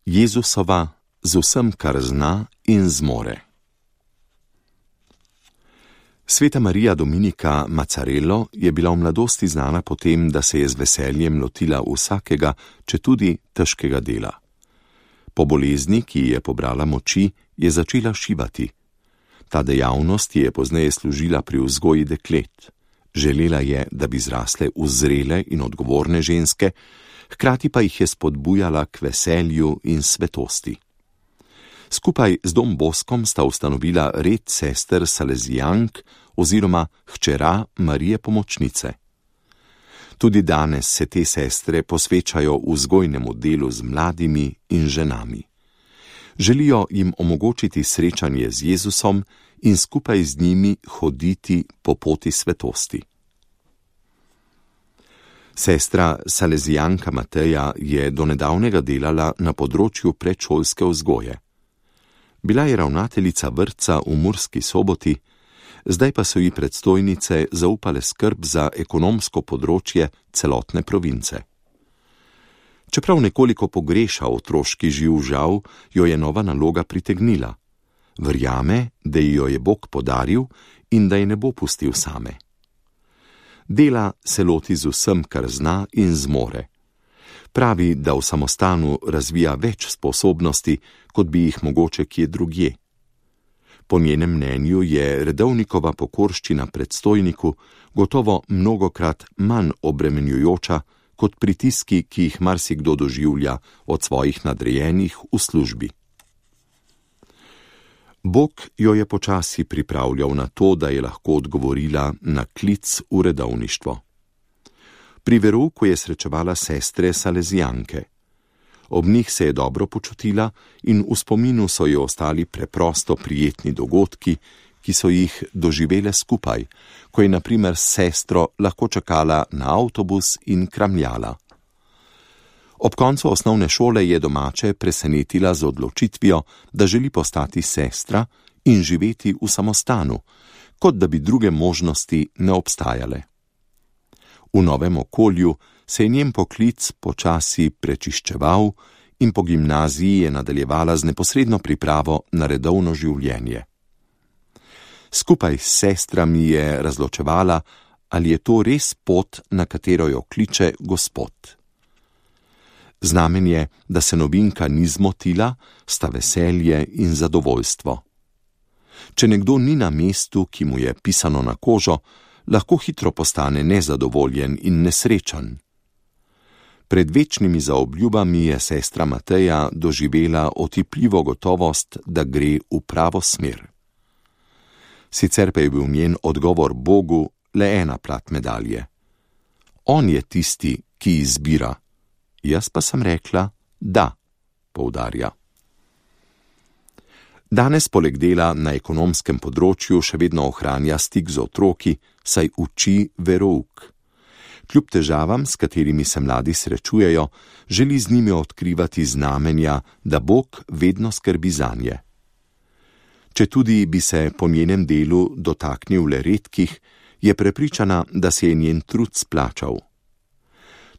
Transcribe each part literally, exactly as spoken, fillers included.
Jezusova z vsem, kar zna in zmore. Sveta Marija Dominika Mazzarello je bila v mladosti znana po tem, da se je z veseljem lotila vsakega, četudi težkega dela. Po bolezni, ki ji je pobrala moči, je začela šivati. Ta dejavnost je pozneje služila pri vzgoji deklet. Želela je, da bi zrasle v zrele in odgovorne ženske, hkrati pa jih je spodbujala k veselju in svetosti. Skupaj z Dom Boskom sta ustanovila red sester Salezijank oziroma hčera Marije Pomočnice. Tudi danes se te sestre posvečajo vzgojnemu delu z mladimi in ženami. Želijo jim omogočiti srečanje z Jezusom in skupaj z njimi hoditi po poti svetosti. Sestra Salezijanka Mateja je do nedavnega delala na področju predšolske vzgoje. Bila je ravnateljica vrtca v Murski Soboti, zdaj pa so ji predstojnice zaupale skrb za ekonomsko področje celotne province. Čeprav nekoliko pogreša otroški živ žal, jo je nova naloga pritegnila. Verjame, da ji jo je Bog podaril in da je ne bo pustil same. Dela se loti z vsem, kar zna in zmore. Pravi, da v samostanu razvija več sposobnosti, kot bi jih mogoče kje drugje. Po njenem mnenju je redovnikova pokorščina predstojniku gotovo mnogokrat manj obremenjujoča kot pritiski, ki jih marsikdo doživlja od svojih nadrejenih v službi. Bog jo je počasi pripravljal na to, da je lahko odgovorila na klic v redovništvo. Pri verouku je srečevala sestre Salezijanke. Ob njih se je dobro počutila in v spominu so ji ostali preprosto prijetni dogodki, ki so jih doživele skupaj, ko je na primer s sestro lahko čakala na avtobus in kramljala. Ob koncu osnovne šole je domače presenetila z odločitvijo, da želi postati sestra in živeti v samostanu, kot da bi druge možnosti ne obstajale. V novem okolju se je njen poklic počasi prečiščeval in po gimnaziji je nadaljevala z neposredno pripravo na redovno življenje. Skupaj s sestrami je razločevala, ali je to res pot, na katero jo kliče Gospod. Znamen je, da se novinka ni zmotila, sta veselje in zadovoljstvo. Če nekdo ni na mestu, ki mu je pisano na kožo, lahko hitro postane nezadovoljen in nesrečen. Pred večnimi zaobljubami je sestra Mateja doživela otipljivo gotovost, da gre v pravo smer. Sicer pa je bil njen odgovor Bogu le ena plat medalje. On je tisti, ki izbira. Jaz pa sem rekla, da, poudarja. Danes poleg dela na ekonomskem področju še vedno ohranja stik z otroki, saj uči verouk. Kljub težavam, s katerimi se mladi srečujejo, želi z njimi odkrivati znamenja, da Bog vedno skrbi zanje. Četudi bi se po njenem delu dotaknil le redkih, je prepričana, da se je njen trud splačal.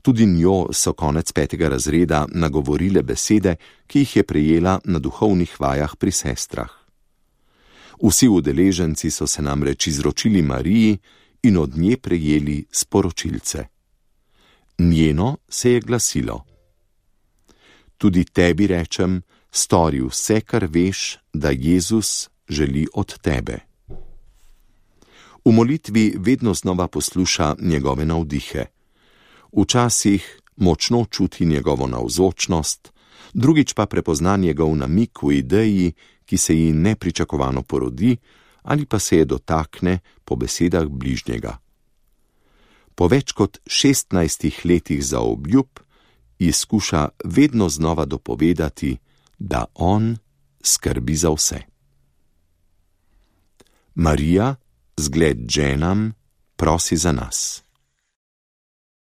Tudi njo so konec petega razreda nagovorile besede, ki jih je prejela na duhovnih vajah pri sestrah. Vsi udeleženci so se namreč izročili Mariji in od nje prejeli sporočilce. Njeno se je glasilo: Tudi tebi rečem, stori vse, kar veš, da Jezus želi od tebe. V molitvi vedno znova posluša njegove navdihe. Včasih močno čuti njegovo navzočnost, drugič pa prepozna njegov namik v ideji, ki se ji nepričakovano porodi ali pa se je dotakne po besedah bližnjega. Po več kot šestnajstih letih zaobljub ji skuša vedno znova dopovedati, da on skrbi za vse. Marija, zgled ženam, prosi za nas.